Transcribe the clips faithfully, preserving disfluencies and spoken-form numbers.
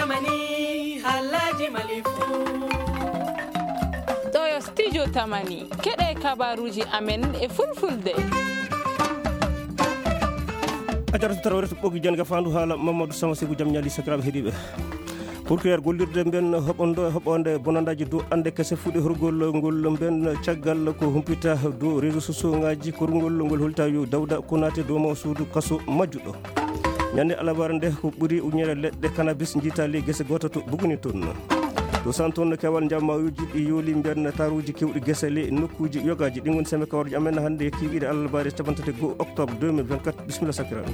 Mani, haalaaji Mali fuu. Ɗoo yo Studio Tamani, keɗee kabaaruuji amen e Fulfulde. A jarata tarawre to ɓoggi jannga faandu haala Mamadou Sama Seku, jam ñaali sakiraaɓe heɗiiɓe. Procureur gollirde mben hoɓondo e hoɓoonde bonandaaji dow annde kese fuɗɗi horgol ngol mben caggal ko humpita dow réseau sociaux ngaaji korngol ngol holta yo Dawda Konaté dow mo suudu kaso majjuɗo. Ñande alabaara nde ko ɓuri uñere leɗɗe kanabis njiitaali gese gooto to Buguni toon. To Santon kewal njammaawuji ɗi yooli mbiyan taruuji kewɗi gese le nokkuuji yogaaji. Ɗin woni sembe kawarji amen hannde kiiɗiɗe alarbaare cappanɗe tati e go'o octobre deux mille vingt-quatre. Bisimilla sakiraaɓe.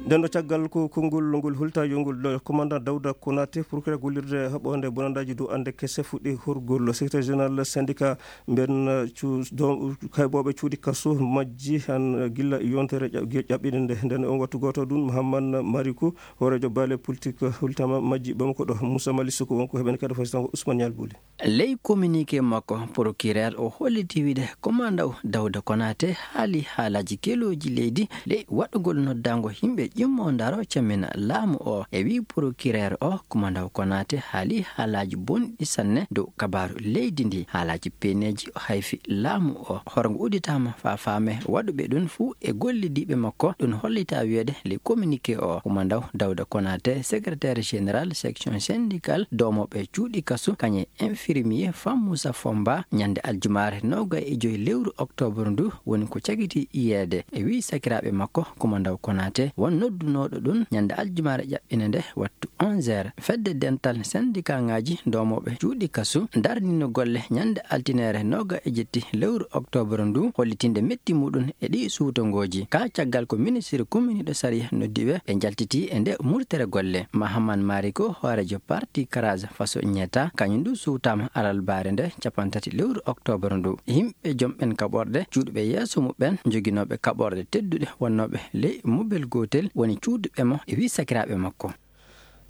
Nden ɗo caggal ko konngol ngol hulta yo ngol ɗo commandant Dawda Konaté, procureur gollirde haɓoonde bonandaaji dow annde kese fuɗɗi horgol. Secrétaire général syndicat mben cu-, do-, kaybooɓe cuuɗi kaso majji han gilla yontere ƴa-, ge-, ƴaɓɓinde nde. Nden on wattu gooto ɗum, Mouhammad Marikou, hooreejo baale politique hultama majji Bamako ɗo. Moussa Mali Soko wonko heɓen kadi fasitan ko Ousmane Nial Bouli. Ley communiqué makko, procureur o holliti wiide commandant Dawda Konaté haali haalaaji kelooji leydi ley waɗugol noddaango yimɓe ƴimmo ndaro camina laamu o. E wii procureur o, commandant Konaté haali haalaaji bonɗi sanne dow kabaaru leydi ndi. Haalaaji peeneeji o hayfi laamu o. Horongo udditaama faa faame waɗuɓe ɗum fuu e gollidiiɓe makko. Ɗum hollita wiyeede ley communiqué o, commandant Dawda Konaté, secrétaire général section syndicale doomooɓe cuuɗi kasu, kañe infirmier Fam Moussa Fomba, ñande aljumaare noogay e joy lewru octobre ndu woni ko cagiti yiyeede. E wii sakiraaɓe makko, commandant Konaté won noddunooɗo ɗum ñande aljumaare ƴaɓɓinde nde wattu onze heures. Fedde dental syndicat ngaaji doomooɓe cuuɗi kasu darnino golle ñande altineere nooga e jetti lewru octobre ndu, hollitinde metti muɗum e ɗii suutongooji. Ka caggal ko ministre kuminiiɗo sariya noddi ɓe, ɓe njaltiti e nde murtere golle. Mahaman Mariko, hooreejo parti Karaza Faso Ñeta, kañum du suutaama alarbaare nde cappanɗe tati lewru octobre ndu. Yimɓe jomɓen kaɓorɗe, juuɗuɓe yeeso muɓɓen, joginooɓe kaɓorɗe tedduɗe wonnooɓe ley mobel gootel woni cuuduɓe mo e wii sakiraaɓe makko.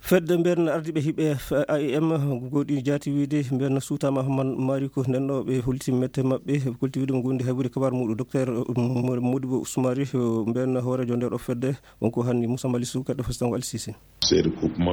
Fedde mbeerna ardiiɓe hiɓe F-, A I M, gooɗi jaati wiide mbeerna suutaama Ahmad Mariko. Nden ɗo ɓe holti mette maɓɓe, ɓe holti wiide mo gondi haybude kabaar muɗum. Docteur Mo-, Modibo Ousmari, mbeerna hooreejo nder o fedde, wonko hanni Moussa Mali Sow, kadi fasitan ko Alsisi.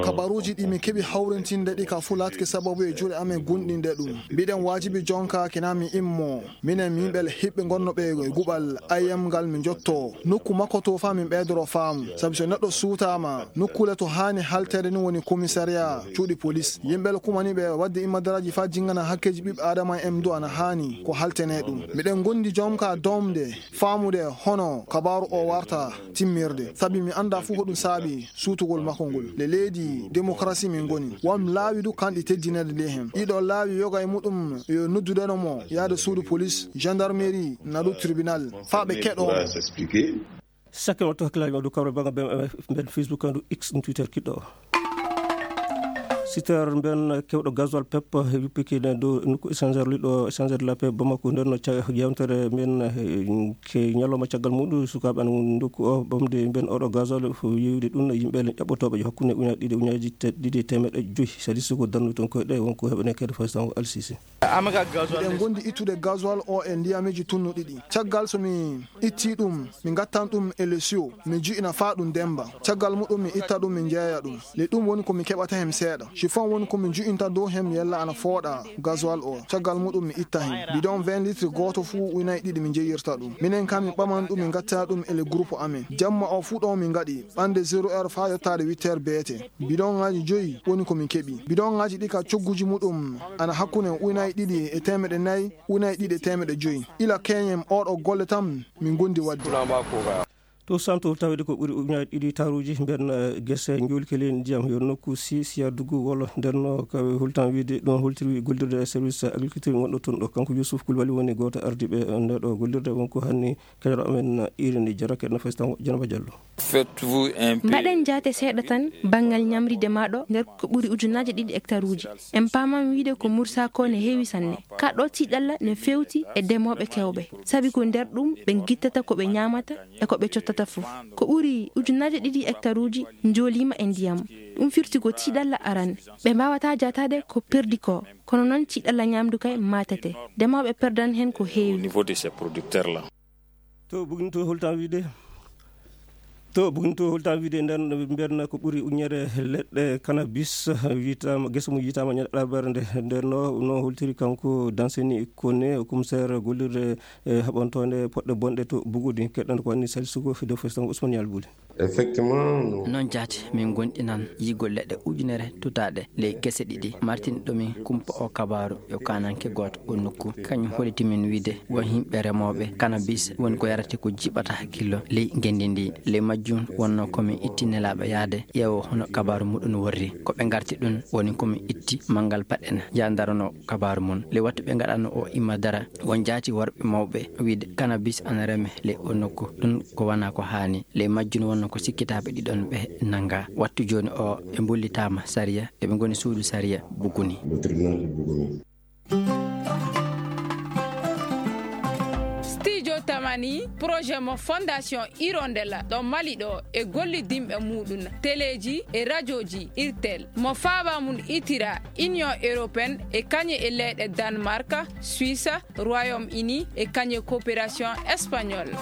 Kabaruuji ɗi mi keɓi hawrintinde ɗi ka fuu laatke sababu e juuɗe amen gunɗinde ɗum. Mbiɗen waajibi jonka kina mi immo. Minen mi yimɓe hiɓɓe ngonnooɓe e guɓal I M ngal mi jotto nokku makko to faa min ɓeydoro faamu. Sabi so neɗɗo suutaama, nokkuule to haani halteede ni woni komisariyaa, cuuɗi polis. Yimɓe kumani ɓe waɗde immadaraaji faa jinngana hakkeeji ɓiɓɓe aadama en du ana haani ko haltenee ɗum. Miɗen ngondi jonka doomde, faamude hono kabaaru o warta timmirde. Sabi mi anndaa fuu ko ɗum saabi suutugol makko ngol. Le leydi demokarasi min ngoni. Won laawi du kanɗi teddineede ley hen. Ɗiɗo laawi yoga e muɗum yo noddudeno mo yaade suudu polis, gendarmerie, na du tribunal. Faa ɓe keɗoo mo. Sakke on to hakkilaaji ma dow kawral banngal B M F mben Facebook, ndu X, ndu Twitter kiɗɗo o. Sitter mben kewɗo gasoil pep yuppike ne dow nokku échangeur liɗɗo échangeur de la paix Bamako. Nden no ca-, yewtere men, eh, ke ñalawma caggal muɗum sukaaɓe ana ndokku o ɓamde mben oɗo gasoil fof yeewde ɗum yimɓe le ƴaɓɓotooɓe yo hakkunde uñaaji ɗiɗi, uñaaji te-, ɗiɗi e teemeɗɗe joyi. Sadi suko dandu ton koyɗe wonko heɓane kadi fasitan o Alsisi. Miɗen ngondi ittude gasoil o e ndiyamiji tunnu ɗiɗi. Caggal so mi itti ɗum, mi ngattan ɗum e le siyo, mi ju'ina faa ɗum demba. Caggal muɗum mi itta ɗum, mi jeeya ɗum. Le ɗum woni ko mi keɓata hem seeɗa. Chiffon woni ko mi ju'inta dow hem yella ana fooɗa gasoil o. Caggal muɗum mi itta hem. Bidon vingt litres gooto fuu uynaaji ɗiɗi mi jeyirta ɗum. Minen kam mi ɓaman ɗum, mi ngattana ɗum e le groupe amen. Jamma o fuu ɗon mi ngaɗi, ɓande zéro heure faa yottaade huit heures beete. Bidonŋaaji joyi woni ko min keɓi. Bidonŋaaji ɗi ka cogguuji muɗum ana hakkunde uynaaji ɗiɗi e teemeɗɗe nayi, uynaaji ɗiɗi e teemeɗɗe joyi. Ila keñen oɗo golle tan min ngondi waɗde. To Santo tawde ko ɓuri uñaaji ɗiɗi taruuji mben, eh, gese njuulki ley ndiyam yo nokku si, siya dugu wolo. Nden no ka hultan wiide ɗum holtiri gollirde e service agriculture wonɗo toon ɗo. Kanko Youssouf Koulibaly woni gooto ardiiɓe nde ɗo gollirde wonko hanni Keñoɗo amen iri ndi jarake no fes tan Janaba Diallo. Faites-vous un peu. Mbaɗen jaate seeɗa tan banngal ñamri demaaɗo nder ko ɓuri ujunnaaje ɗiɗi hectaruuji. En paaman wiide ko Mursa ko ne heewi sanne. Ka ɗo tiiɗalla ne feewti e demooɓe kewɓe. Sabi ko nder ɗum ɓe ngittata ko ɓe ñaamata e ko ɓe cottata fof. Ko ɓuri ujunnaaje ɗiɗi hectaruuji njooliima e ndiyam. Ɗum firti ko tiiɗalla aran. Ɓe mbaawataa jaataade ko perdi ko. Kono noon tiiɗalla ñaamdu kay maatete. Demooɓe perdan heen ko heewi. Au niveau de ces producteurs-là. To Bugni to holtan wiide? To Buguni to, holtaama wiide nden, mbiyen ko ɓuri ujunere leɗɗe cannabis yiytaama, gese mum yiytaama ñande alarba nde. Nden no, no holtiri kanko Danseni Kone, commissaire gollirde e haɓantoonde poɗɗe bonɗe to Buguni. Keɗɗon ko woni Salisu Suko, Fido Festango, Ousmane Yalbuli. Effectivement, non. Non jaati, min ngonɗinan yigol leɗɗe ujunere tutaaɗe ley gese ɗiɗi. Martin ɗomi kumpa o kabaaru yo kaananke gooto o nokku. Kañum holliti min wiide won yimɓe remooɓe kanabis woni ko yarate ko jiɓata hakkillo ley ngenndi ndi. Ley majjum wonno ko min itti nelaaɓe yaade ƴeewo hono kabaaru muɗum worri. Ko ɓe ngarti ɗum woni ko min itti manngal paɗɗen jandarano kabaaru mum. Ley wattu ɓe ngaɗano o imma dara, won jaati worɓe mawɓe wiide kanabis ana reme ley o nokku. Ɗum ko wona ko haani. Ley majjum wonno ko sikkitaaɓe ɗiɗon ɓe nannga. Wattu jooni o ɓe mbollitaama sariya, eɓe ngoni suudu sariya Buguni. Le tribunal de Bougouni. Studio Tamani, projet mo Fondation Hirondella ɗo Mali ɗo e gollidinɓe muɗum, teleeji e rajooji Irtel. Mo faaba mum itira Union Européenne e kañe e leyɗe Danemark, Suisse, Royaume-Uni e kañe coopération espagnole.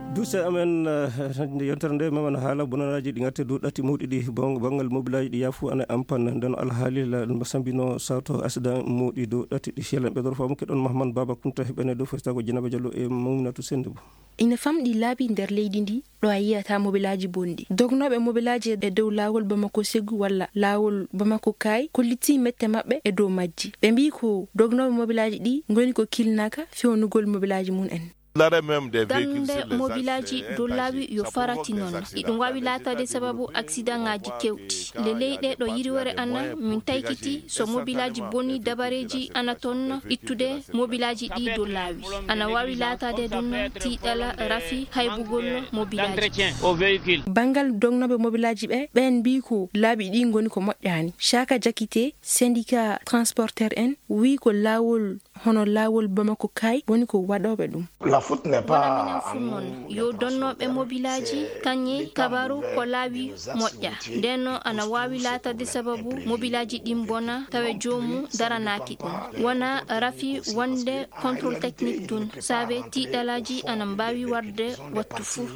Duuse amen, eh, nde yontere nde, memen haala bonanaaji ɗi ngarte dow ɗatti mawɗi ɗi, bon-, banngal mobilaaji ɗi yaafu ana ampan. Nden alhaali la, no sambino sato accident mawɗi dow ɗatti ɗi. Yalla ɓe doro faamu keɗon Mahamman Baba Kunta heɓene dow festago Dieynaba Diallo e Mouminatou Sendou. Ina famɗi laabi nder leydi ndi, ɗo a yiyata mobilaaji bonɗi. Dognooɓe mobilaaji e dow laawol Bamako Ségou walla laawol Bamako Kaay kollitii mette maɓɓe e dow majji. Ɓe mbii ko dognooɓe mobilaaji ɗi ngoni ko kilnaaka fewnugol mobilaaji mum en. Darnde mobilaaji dow laawi yo farati non. Iɗum waawi laataade sababu aksidaŋaaji keewɗi. Ley leyɗe ɗo yiriwere ana, min taykiti so mobilaaji boni dabareeji ana toon ittude mobilaaji ɗi dow laawi. Ana waawi laataade ɗum tiiɗala rafi haybugol mobilaaji. Banngal dognooɓe mobilaaji ɓe, ɓeen mbii ko laabi ɗi ngoni ko moƴƴaani. Caaka Jakite, syndicat transporteur en, wii ko laawol hono laawol Bamako Kaay woni ko waɗooɓe ɗum. Wona minen fuu non, yo donnooɓe mobilaaji kañe kabaaru ko laawi moƴƴa. Ndeen noon ana waawi laataade sababu mobilaaji ɗin bona tawa joomum daranaaki ɗum. Wona rafi wonde contrôle technique ɗum, saabe tiiɗalaaji ana mbaawi warde wattu fuu.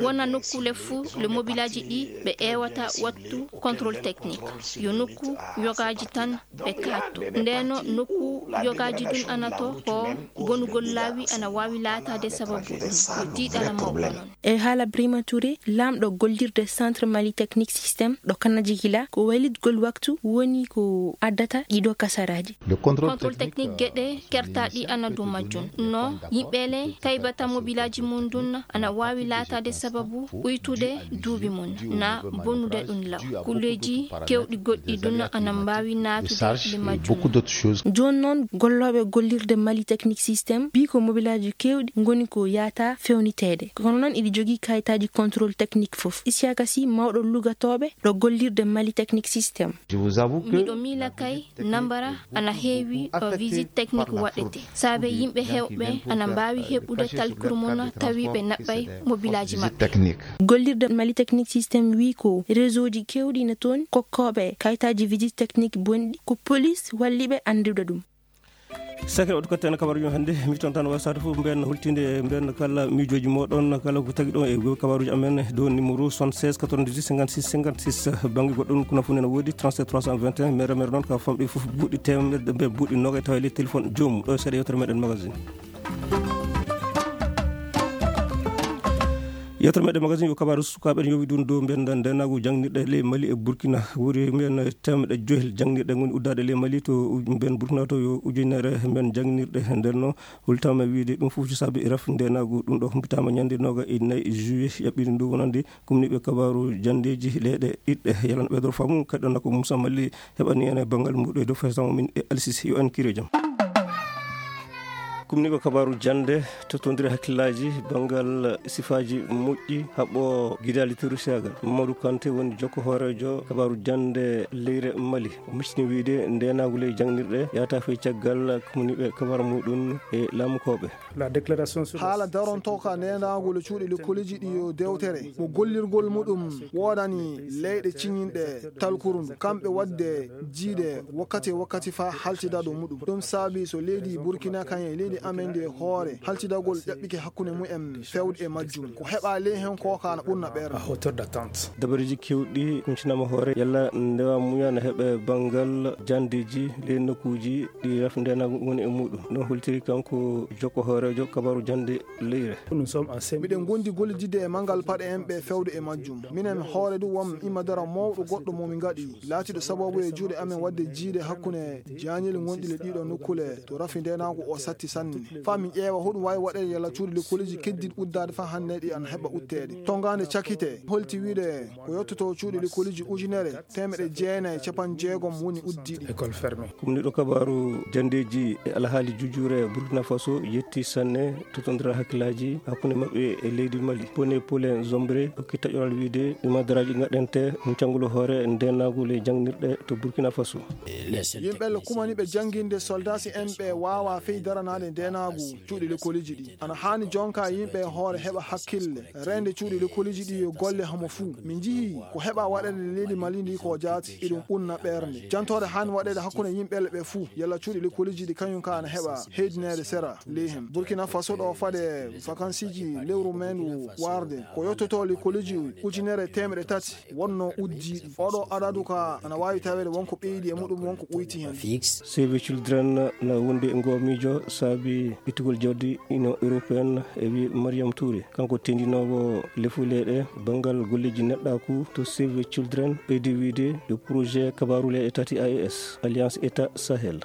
Wona nokkuule fuu le mobilaaji ɗi ɓe ƴeewata wattu contrôle technique. Yo nokku yogaaji tan ɓe kaatto. Ndeen noon nokku yogaaji ɗum ana to ko bonugol laawi ana waawi laataade sababu ɗum. Yo tiiɗala mawɗo non. E haala Brima Touré, laamɗo gollirde Centre Mali Technique Système ɗo Kanajigila, ko waylitgol waktu woni ko addata ɗiɗo kasaraaji. Contrôle technique geɗe kertaaɗi ana dow majjum. No yimɓe le taybata mobilaaji mum ɗum ana waawi laataade sababu uytude duuɓi mum, na bonude ɗum law. Kulleeji keewɗi goɗɗi ɗum ana mbaawi naatude le majjum. Jooni noon, gollooɓe gollirde Mali Technique Système mbii ko mobilaaji keewɗi ngoni ko yaata fewniteede. Kono noon, iɗi jogii kayitaaji contrôle technique fof. Isiaka Sy, mawɗo lugatooɓe ɗo gollirde Mali Technique Système. Miɗo miila kay, nambara ana heewi ɗo visite technique waɗete, saabe yimɓe heewɓe ana mbaawi heɓude talkuru mum tawi ɓe naɓɓay mobilaaji maɓɓe. Gollirde Mali Technique Système wii ko réseauji keewɗi na toon kokkooɓe kayitaaji visite technique bonɗi, ko police walli ɓe anndude ɗum. Sakre waɗtu katten kabaruuji men hannde, mi ton tan wasaade fof, mben hultinde, mben kala miijooji mooɗon, kala ko tagi ɗon e kabaruuji amen, dow numéro soixante-seize quatre-vingt-dix-huit cinquante-six cinquante-six. Bannge goɗɗo ɗum, kuna fof nena woodi, trente-sept trois cent vingt et un, mere mere noon, ka famɗi fof buuɗi teemeɗɗe, mbe buuɗi noogay, tawa e ley téléphone joomum. Ɗo e seeɗa yewtere meɗen magazine. Yewtere meɗen magazine yo kabaaru sukaaɓe, en yowi ɗum dow mben ndeenaagu jangnirɗe ley Mali e Burkina. Ɓuri mbiyen teemedde joyel jangnirɗe ngoni uddaaɗe ley Mali to u-, mben Burkina to yo ujunere mben jangnirɗe. Nden no hultaama wiide ɗum fof ko saabi rafi ndeenaagu. Ɗum ɗo humpitaama ñande nooga e nayi juillet ƴaɓɓiri ndu wonande kumniiɓe kabaaru janndeeji leyɗe ɗiɗɗe. Yalan ɓeydoro faamu kadi ɗon ko Moussa Mali heɓani en e banngal mbuɗo e dow fesan min e Alsisi yo en kiro jam. Kumniiɓe kabaaru jannde, tottondire hakkillaaji banngal sifaaji moƴƴi, haɓɓo gidaali terroristaagal. Mamadou Kanté woni jokko hooreejo kabaaru jannde leyre Mali. O miccini wiide ndeenaagu ley jangnirɗe yahata fey caggal kumniiɓe kabaaru muɗum e laamukooɓe. Haala darontooka ndeenaagu le cuuɗi lekkoleeji ɗi yo dewtere mo gollirgol muɗum woodani leyɗe ciñinɗe talkuru ndu, kamɓe waɗde jiiɗe wakkati e wakkati faa haltida ɗo muɗum. Ɗum saabi so leydi Burkina kañum e leydi amen nde hoore haltidagol ƴaɓɓike hakkunde mumen fewde e majjum. Ko heɓaa ley hen koo kaa na ɓurna ɓeer. Dabareeji keewɗi kuncinaama hoore yalla ndewa muya na heɓe banngal janndeeji ley nokkuuji ɗi rafi ndeenaagu ngoni e muuɗum. No holtiri kanko jokko hooreejo kabaaru jannde leyre. Miɗen ngondi gollididde e manngal paɗe en ɓe fewde e majjum. Minen hoore du won imma dara mawɗo goɗɗo mo mi ngaɗi laatiiɗo sababu e juuɗe amen waɗde jiide hakkunde jaañeli ngonɗi le ɗiɗo nokkule to rafi ndeenaagu o satti sanne. Faa min ƴeewa hoɗum waawi waɗeede yalla cuuɗi likkoliji keddiɗi uddaade faa hannde ɗi ana heɓa utteede. Tongaande cakite holti wiide ko yottoto cuuɗi likkoliji ujunere teemeɗe jeenayi capanɗe jeegom woni uddiiɗi. Kumniiɗo kabaaru janndeeji e alhaali jujuure Burkina Faso yetti sanne totondiral hakkillaaji hakkunde maɓɓe e leydi Mali. Pone Pole Zombre hokki taƴoral wiide ɗi madaraaji ngaɗante huncangol hoore ndeenaagu ley jangnirɗe to Burkina Faso. Yimɓe le kumaniiɓe jannginde soldaasi en ɓe waawaa fey daranaade ndeenaagu cuuɗi likkoliji ɗi. Ana haani jonka yimɓe e hoore heɓa hakkille reende cuuɗi likkoliji ɗi yo golle homo fuu. Min njihii ko heɓa waɗeede leydi Mali ndi ko jaati iɗum ɓunna ɓeernde. Jantoore haani waɗeede hakkunde yimɓe le ɓe fuu yalla cuuɗi likkoliji ɗi kañum ka ana heɓa heydineede sera ley hen. Burkina Faso ɗo faade vakansiiji lewru meendu waarde ko yottoto likkoliji ujunere teemeɗe tati wonno uddiiɗi. Oɗo adadu ka ana waawi taweede wonko ɓeydi e muɗum wonko ɓoyti hen. Save Children na wondi e ngoo miijo saabi ittugol jawdi Union Européenne e wi Mariam Touré. Kanko tendinoowo lefuleeɗe banngal golleeji neɗɗaaku to Save Children ɓeydi wiide yo projet kabaaru leyɗe tati A E S, Alliance État Sahel.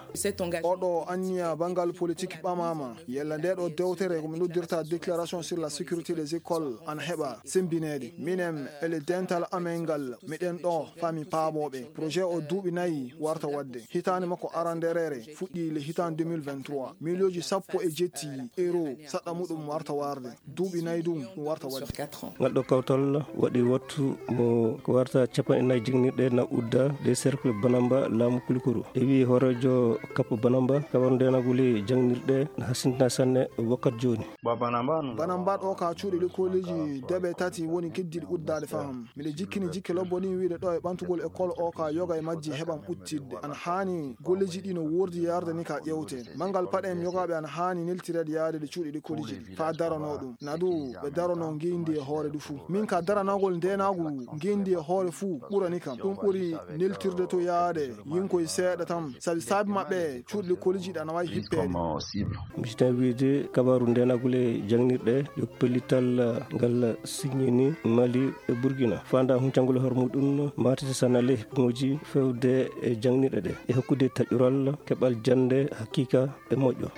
Oɗo anniya banngal politique ɓamaama. Yalla nde ɗo dewtere ko mi noddirta déclaration sur la sécurité des écoles ana heɓa sembineede. Minen e le dental amen ngal miɗen ɗo faa mi paamoo ɓe. Projet o duuɓi nayi warta waɗde. Hitaande makko arandereere fuɗɗii le hitaande deux mille vingt-trois. Miiliyooji sappo e jetti euro saɗɗa muɗum warta waarde. Duuɓi nayi ɗum ɗum warta waɗde. Ngal ɗo kawtal waɗi wattu mo ko warta capanɗe nayi jeŋnirɗe na udda ɗe cercle Banamba laamu Kulikoro. E wii hooreejo Kap Banamba, kawar ndeenagol e jaŋnirɗe na hasintina sanne wakkati jooni. Banamba ɗo ka cuuɗi likkooliji deɓe tati woni keddiiɗi uddaade faham. Miɗo jikkini jikke lobbo ɗin wiide ɗo e ɓantugol école o ka yoga e majji heɓam uttidde. Ana haani golleeji ɗi no woordi yarde ni ka ƴewte. Manngal paɗe en yogaaɓe ana haani neltireede yaade ɗe cuuɗi likkooliji ɗi faa daranoo ɗum. Na du ɓe daranoo ngeenndi e hoore du fuu. Min ka daranagol ndeenaagu ngeenndi e hoore fuu ɓurani kam. Ɗum ɓuri neltirde to yaade yinkoy seeɗa tan. Sabi saabi maɓɓe cuuɗi likkooliji ɗi ana waawi hippeede. Misitaa wiide kabaaru ndeenagol e jaŋnirɗe yo pellital ngal siññini Mali e Burkina. Faandaa huncangol hoore muɗum maatete sanale hikmooji fewde e jaŋnirɗe ɗe e hokkude taƴural keɓal jannde hakiika e moƴƴo.